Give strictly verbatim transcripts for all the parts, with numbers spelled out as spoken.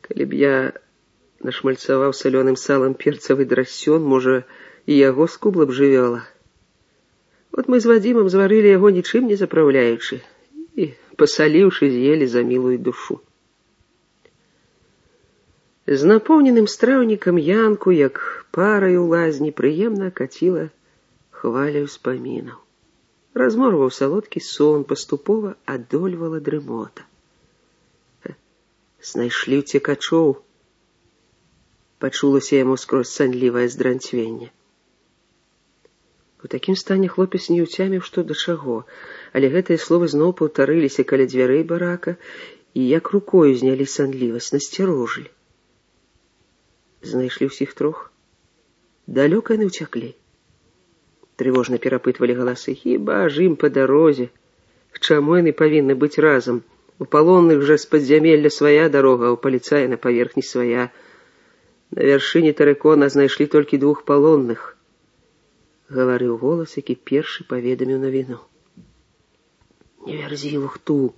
Калі б я нашмальцаваў салёным салам перцавы драсён, можа, і яго скубла б жывёла. Вот мы з Вадзімам зварылі яго нічым не запраўляючы і, пасаліўшы, з'елі за мілую душу. З напоўненым страўнікам Янку, як параю ў лазні, прыемна каціла хваля ўспамінаў. Разморваў салодкі сон, паступова адольвала дрымота. Знайшлі ўцекачоў. Пачулася яму скрозь санлівае здранцвенне. У такім стане хлопец не ўцяміў, што да чаго, але гэтыя словы зноў паўтарыліся каля дзвярэй барака і як рукою знялі санлівасць, насцярожылі. Знайшлі ўсіх трох. Далёка яны ўцяклі. Трывожна перапытвалі галасы. Хіба ж ім па дарозе? К чаму яны павінны быць разам? У палонных жа з падзямелля свая дарога, а у паліцая на паверхні свая. На вяршыні тэрыкона знайшлі толькі двух палонных. Гаварыў голас, які першы паведаміў навіну. Не вярзі лухту.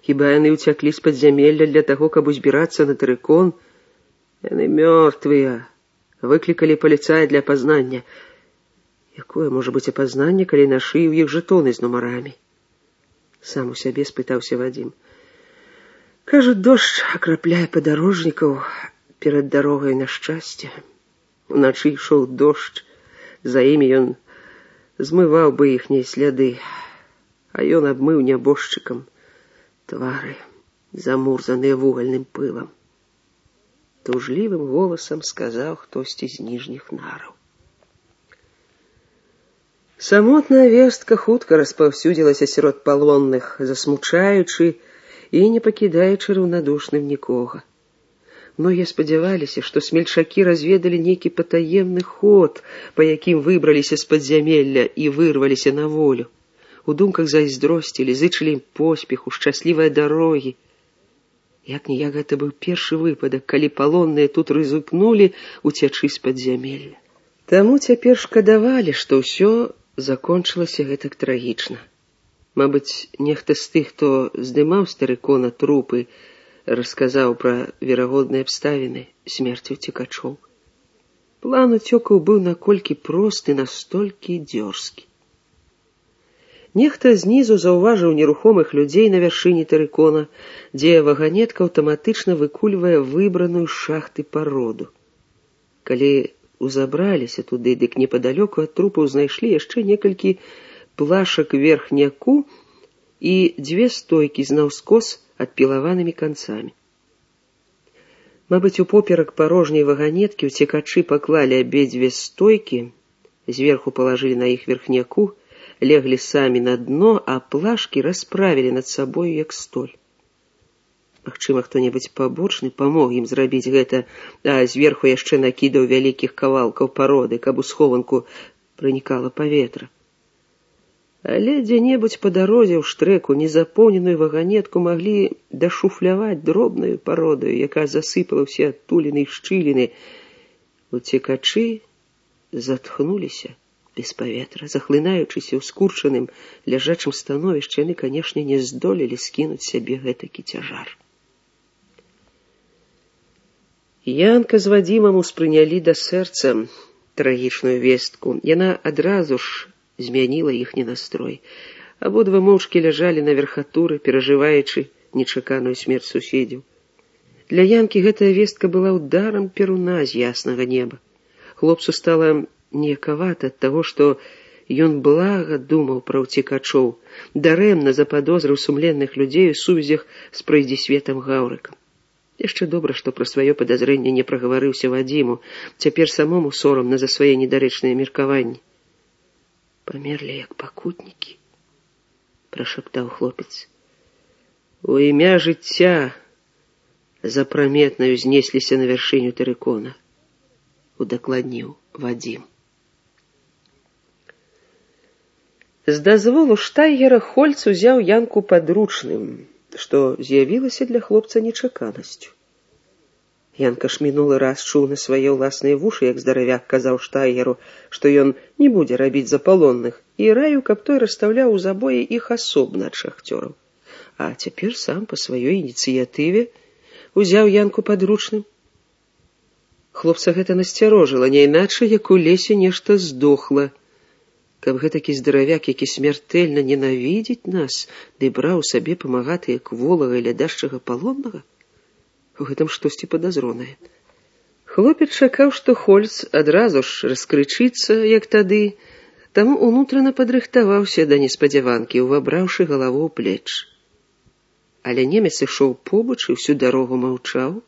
Хіба яны ўцяклі з падзямелля для таго, каб узбірацца на тэрыкон? Яны мёртвыя. Выклікалі паліцая для апазнання. Якое можа быць апазнанне, калі на шыі ў іх жэтоны з нумарамі? Сам у сябе спытаўся Вадзім. Кажуць, дождж акрапляе падарожнікаў перад дарогай на шчасце. Уначы ішоў дождж, за імі ён змываў бы іхнія сляды, а ён абмыў нябожчыкам твары, замурзаныя вугальным пылам. Тужлівым голасам сказаў хтосьці з ніжніх нараў. Самотная вестка хутка распаўсюдзілася сярод палонных, засмучаючы і не пакідаючы раўнадушным нікога. Многія спадзяваліся, што смельчакі разведалі нейкі патаемны ход, па якім выбраліся з падзямелля і вырваліся на волю. У думках зайздросцілі, зычылі ім поспеху, шчаслівай дарогі. Як-ніяк гэта быў першы выпадак, калі палонныя тут рызыкнулі уцячы з падзямелля. Таму цяпер шкадавалі, што ўсё закончылася гэтак трагічна. Мабыць, нехта з тых, хто здымаў з тэрыкона трупы, расказаў пра верагодныя абставіны смерці ўцекачоў. План уцёкаў быў наколькі просты, настолькі дзёрзкі. Нехта знізу заўважыў нерухомых людзей на вяршыні тэрыкона, дзе ваганетка аўтаматычна выкульвае выбраную з шахты пароду. Калі узабраліся туды, дык непадалёку ад трупаў знайшлі яшчэ некалькі плашак верхняку і дзве стойкі з наўскос адпілаванымі канцамі. Мабыць, упоперак парожняй ваганеткі ўцекачы паклалі абедзве стойкі, зверху палажылі на іх верхняку, леглі самі на дно, а плашкі расправілі над сабою як столь. Магчыма, хто-небудзь пабочны памог ім зрабіць гэта, а зверху яшчэ накідаў вялікіх кавалкаў пароды, каб у схованку пранікала паветра. Але дзе-небудзь па дарозе ў штрэку незапоўненую ваганетку маглі дашуфляваць дробнаю пародаю, якая засыпала ўсе адтуліны і шчыліны. Уцекачы затхнуліся без паветра, захлынаючыся ў скурчаным ляжачым становішчы, яны, канешне, не здолелі скінуць сябе гэтакі цяжар. Янка з Вадзімам успрынялі да сэрца трагічную вестку. Яна адразу ж змяніла іхні настрой. Абодва моўчкі ляжалі на верхатуры, перажываючы нечаканую смерць суседзяў. Для Янкі гэтая вестка была ударам перуна з яснага неба. Хлопцу стала неякавата ад таго, што ён блага думаў пра ўцекачоў, дарэмна западозрыў сумленных людзей у сувязях з пройдзісветам Гаўрыкам. Яшчэ добра, што пра сваё падазрэнне не прагаварыўся Вадзіму, цяпер самому сорамна за свае недарэчныя меркаванні. Памерлі як пакутнікі, прашаптаў хлопец. У імя жыцця запраметнаю знесліся на вяршыню тэрыкона, удакладніў Вадзім. З дазволу штайгера Хольц узяў Янку падручным, што з'явілася для хлопца нечаканасцю. Янка ж мінулы раз чуў на свае ўласныя вушы, як здаравяк казаў штайгеру, што ён не будзе рабіць за палонных, і раіў, каб той расстаўляў у забоі іх асобна ад шахцёраў. А цяпер сам па сваёй ініцыятыве узяў Янку падручным. Хлопца гэта насцярожыла, няйначай, як у лесе нешта здохла. Каб гэтакі здаравяк, які смяртэльна ненавідзіць нас, ды браў сабе памагатыя кволага і лядашчага палоннага, у гэтым штосьці падазронае. Хлопец чакаў, што Хольц адразу ж раскрычыцца, як тады, таму унутрана падрыхтаваўся да неспадзяванкі, увабраўшы галаву ў плеч. Але немец ішоў побач і всю дарогу маўчаў,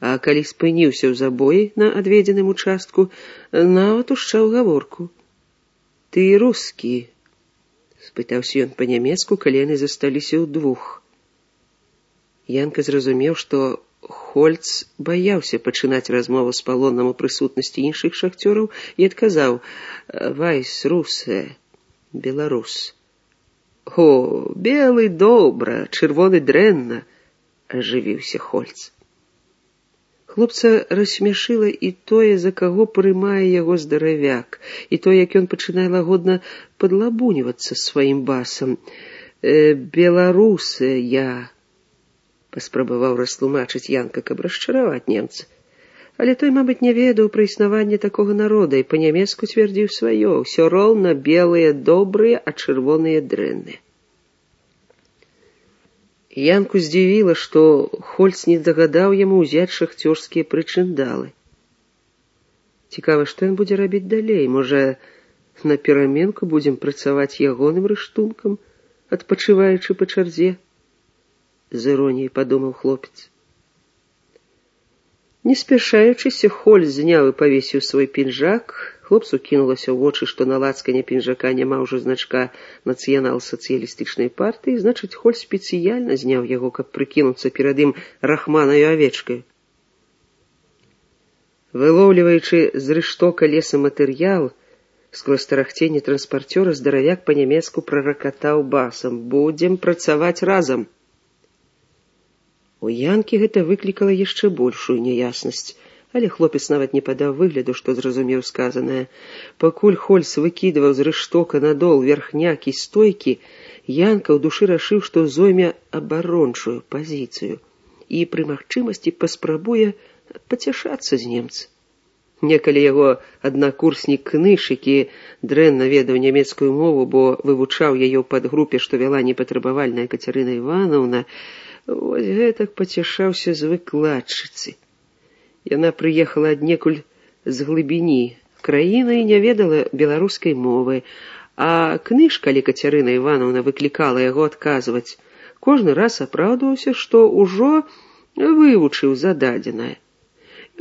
а калі спыніўся ў забоі на адведзеным участку, нават ушчаў гаворку. «Ты рускі?» — спытаўся ён па-нямецку, калі яны засталіся ўдвух. Янка зразумеў, што Хольц баяўся пачынаць размову з палонным у прысутнасці іншых шахцёраў і адказаў: «Вайс русе, беларус». «О, белы добра, чырвоны дрэнна», — ажывіўся Хольц. Хлопца рассмяшыла і тое, за каго прымае яго здаравяк, і то, як ён пачынае лагодна падлабунівацца сваім басам. «Э, беларусы я», — паспрабаваў растлумачыць Янка, каб расчараваць немца. Але той, мабыць, не ведаў пра існаванне такога народа і па-нямецку цвярдзіў сваё: «Усё роўна белыя добрыя, а чырвоныя дрэнныя». Янку здзівіла, што Хольц не дагадаў яму ўзяць шахцёрскія прычындалы. Цікава, што ён будзе рабіць далей? Можа, на пераменку будзем працаваць ягоным рыштункам, адпачываючы па чарзе? З іроніяй падумаў хлопец. Не спяшаючыся, Хольц зняў і павесіў свой пінжак. Хлопцу кінулася ў вочы, што на лацкане пінжака няма ўжо значка нацыянал-сацыялістычнай партыі, значыць, Хольц спецыяльна зняў яго, каб прыкінуцца перад ім рахманаю авечкаю. Вылоўліваючы з рыштока лесаматэрыял, скрозь тарахценне транспарцёра здаравяк па-нямецку праракатаў басам: «Будзем працаваць разам». У Янкі гэта выклікала яшчэ большую няяснасць, але хлопец нават не падаў выгляду, што зразумеў сказанае. Пакуль Хольц выкідваў з рыштока надол верхняк і стойкі, Янка ў душы рашыў, што зойме абарончую пазіцыю і пры магчымасці паспрабуе пацяшацца з немца. Некалі яго аднакурснік Кныш, які дрэнна ведаў нямецкую мову, бо вывучаў яе ў падгрупе, што вяла непатрабавальная Кацярына Іванаўна, вось гэтак пацяшаўся з выкладчыцы. Яна прыехала аднекуль з глыбіні краіны і не ведала беларускай мовы, а Кныш, калі Кацярына Іванаўна выклікала яго адказваць, кожны раз апраўдваўся, што ўжо вывучыў зададзенае.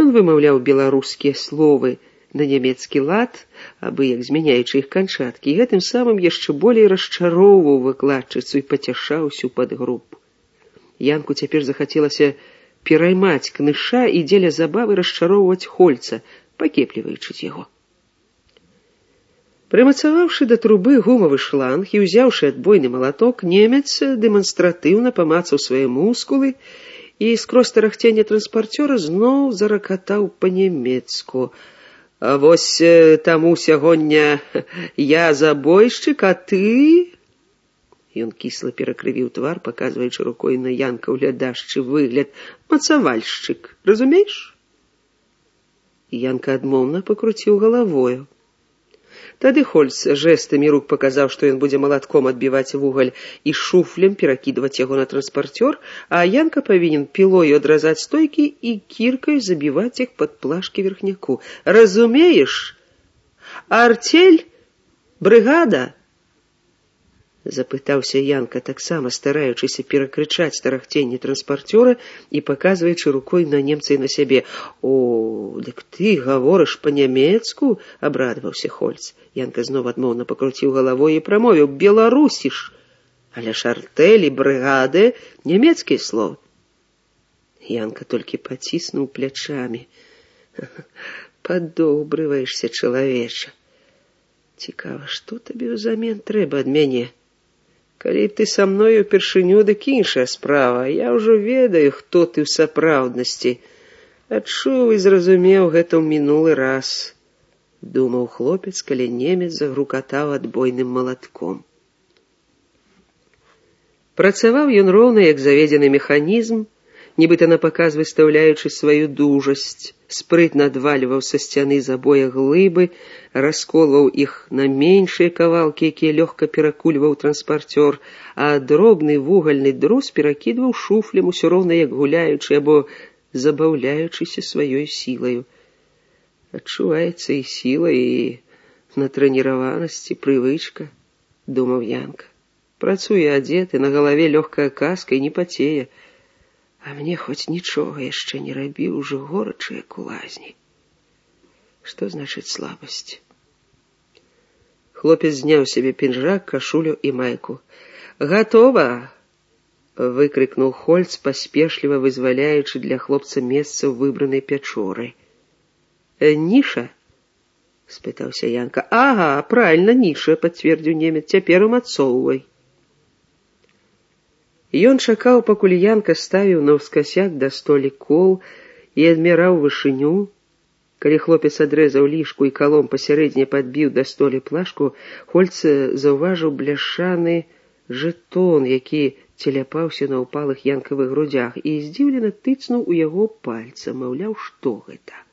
Ён вымаўляў беларускія словы на нямецкі лад, абы як змяняючы іх канчаткі, і гэтым самым яшчэ болей расчароўваў выкладчыцу і пацяшаў усю падгрупу. Янку цяпер захацелася пераймаць Кныша і дзеля забавы расчароўваць Хольца, пакепліваючыць яго. Прымацаваўшы да трубы гумавы шланг і ўзяўшы адбойны малаток, немец дэманстратыўна памацаў свае мускулы і скрозь тарахценне транспарцёра зноў заракатаў па-нямецку: «А вось таму сягоння я забойшчык, а ты...» Ён кісла перакрывіў твар, паказваючы рукой на Янка ўглядашчы выгляд: «Мацавальшчык, разумееш?» Янка адмоўна пакруціў галавою. Тады Хольц жэстамі рук паказаў, што ён будзе малатком адбіваць вугаль і шуфлем перакідваць яго на транспарцёр, а Янка павінен пілою адразаць стойкі і кіркай забіваць іх пад плашкі верхняку. «Разумееш? Артель? Брыгада?» Запытаўся Янка, таксама стараючыся перакрычаць тарахценне транспарцёра і паказваючы рукой на немца і на сябе. «О, дык ты гаворыш па-нямецку?» — абрадаваўся Хольц. Янка зноў адмоўна пакруціў галавой і прамовіў: «Беларусіш, але ж артэль і брыгады — нямецкія словы». Янка толькі паціснуў плячамі. «Падобрываешся, чалавеча. Цікава, што табе ўзамен трэба ад мяне? Калі б ты са мною упершыню, дык іншая справа. Я ўжо ведаю, хто ты ў сапраўднасці. Адчуў і зразумеў гэта ў мінулы раз», — думаў хлопец, калі немец загрукатаў адбойным малатком. Працаваў ён роўна, як заведзены механізм, нібыта напаказ выстаўляючы сваю дужасць, спрытна адвальваў са сцяны з абоя глыбы, расколваў іх на меншыя кавалкі, якія лёгка перакульваў транспарцёр, а дробны вугальны друз перакідваў шуфлем, усё роўна як гуляючы або забаўляючыся сваёй сілаю. Адчуваецца і сіла, і натрэніраванасць, і прывычка, думаў Янка. Працуе адзеты, на галаве лёгкая каска і не пацее. А мне хоць нічога яшчэ не рабіў, ужо горача, як у лазні. Што значыць слабасць? Хлопец зняў сябе пінжак, кашулю і майку. «Гатова!» — выкрикнул Хольц, паспешліва вызваляючы для хлопца месца ў выбранай пячоры. «Ніша?» — спытаўся Янка. «Ага, правильно, ніша», — пацвердзіў немец. «Цяпер умацоўвай». Ён чакаў, пакуль Янка ставіў наўскасяк да столі кол і адмяраў вышыню. Калі хлопец адрэзаў лішку і калом пасярэдне падбіў да столі плашку, Хольц заўважыў бляшаны жэтон, які целяпаўся на ўпалых Янкавых грудзях, і здзіўлена тыцнуў у яго пальцам, маўляў, што гэта.